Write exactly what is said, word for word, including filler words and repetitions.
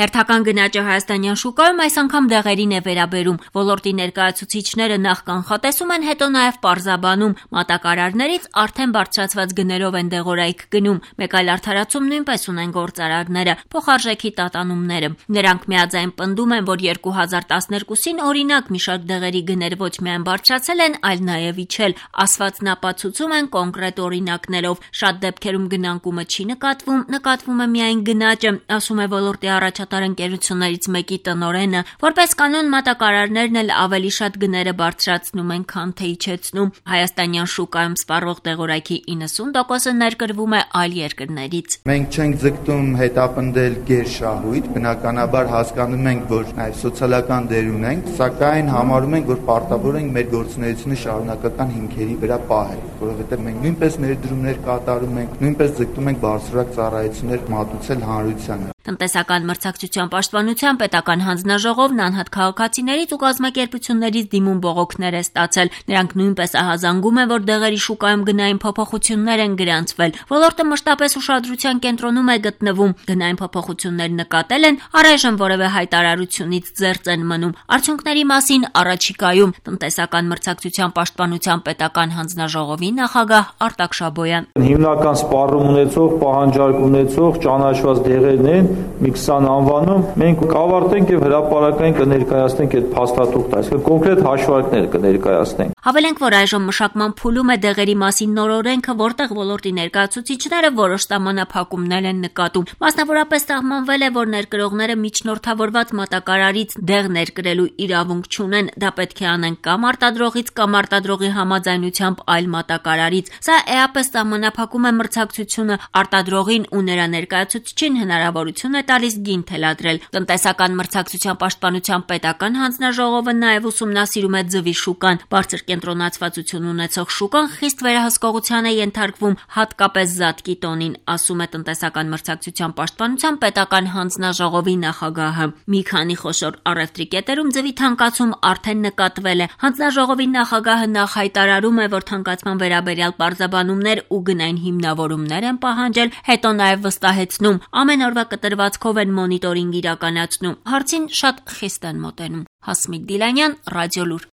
Հերթական գնաճը հայաստանյան շուկայում այս անգամ դեղերին է վերաբերում։ Ոլորտի ներկայացուցիչները նախ կանխատեսում են, հետո նաև պարզաբանում։ Մատակարարներից արդեն բարձրացված գներով են դեղորայք գնում։ Մեկ այլ արդարացում նույնպես ունեն գործարարները՝ փոխարժեքի տատանումները։ Նրանք միաձայն պնդում են, որ երկու հազար տասներկուսին օրինակ մի շարք դեղերի գներ ոչ միայն բարձրացել են, այլ նաև իջել։ Ասվածն ապացուցում են կոնկրետ օրինակներով։ Շատ դեպքերում գնանկումը չի նկատվում, նկատվում է միայն գնաճը, ասում է ոլորտի առաջատար ընկերություններից մեկի տնօրենը։ Որպես կանոն մատակարարներն էլ ավելի շատ գները բարձրացնում են, քան թե իջեցնում։ Հայաստանյան շուկայում սպառվող դեղորայքի իննսուն տոկոսը ներկրվում է այլ երկրներից։ Մենք չենք ձգտում հետապնդել գերշահույթ, բնականաբար հասկանում ենք, որ այ սոցիալական դեր ունենք, սակայն համարում ենք, որ պարտավոր ենք մեր գործունեությունը շարունակական հիմքերի վրա պահել, որովհետև մենք նույնպես ներդրումներ կատարում ենք, նույնպես ձգտում ենք բարձրորակ ծառայություններ մատուցել հանրությանը։ Տնտեսական մրցակցության պաշտպանության պետական հանձնաժողովն անհատ քաղաքացիներից ու կազմակերպություններից դիմում բողոքներ է ստացել։ Նրանք նույնպես ահազանգում են, որ դեղերի շուկայում գնային փոփոխություններ են գրանցվել։ Ոլորտը մշտապես ուշադրության կենտրոնում է գտնվում։ Գնային փոփոխություններ նկատել են, առայժմ որևէ հայտարարությունից զերծ են մնում։ Արդյունքների մասին առաջիկայում տնտեսական մրցակցության պաշտպանության պետական հանձնաժողովի նախագահ Արտակ Շաբոյան։ Հիմնական սպառում ունեցող, պահանջարկ ունեցող ճանաչված դեղերն են մի քսան անվանում, մենք կավարտենք եւ հրապարակային կներկայացնենք այդ փաստաթուղթը, այսինքն կոնկրետ հաշվարկներ կներկայացնենք։ Հավելենք, որ այժմ մշակման փուլում է դեղերի մասին նոր օրենքը, որտեղ ոլորտի ներկայացուցիչները որոշ սահմանափակումներ են նկատում։ Մասնավորապես սահմանվել է, որ ներկրողները միջնորդավորված մատակարարից դեղ ներկրելու իրավունք չունեն։ Դա պետք է անեն կամ արտադրողից, կամ արտադրողի համաձայնությամբ այլ մատակարարից։ Սա էապես սահմանափակում է մրցակցությունը, արտադրողին ու նրա ներկայացուցիչին հնարավորություն է տալիս գին թելադրել։ Տնտեսական մրցակցության պաշտպանության պետական հանձնաժողովը նաև ուսումնասիրում է ձվի շուկան։ Բարձր կենտրոնացվածություն ունեցող շուկան խիստ վերահսկողության է ենթարկվում, հատկապես զատկի տոնին, ասում է տնտեսական մրցակցության պաշտպանության պետական հանձնաժողովի նախագահը։ Մի քանի խոշոր առևտրի կետերում ձվի թանկացում արդեն նկատվել է։ Հանձնաժողովի նախագահը նախ հայտարարում է, որ թանկացման վերաբերյալ պարզաբանումներ ու գնային հիմնավորումներ են պահանջել, հետո նաև վստահեցնում, ամեն օրվա կտրվածքով են մոնիտորինգ իրականացնում։ Հարցին շատ խիստ են մոտենում։ Հասմիկ Դիլանյան, Ռադիոլուր։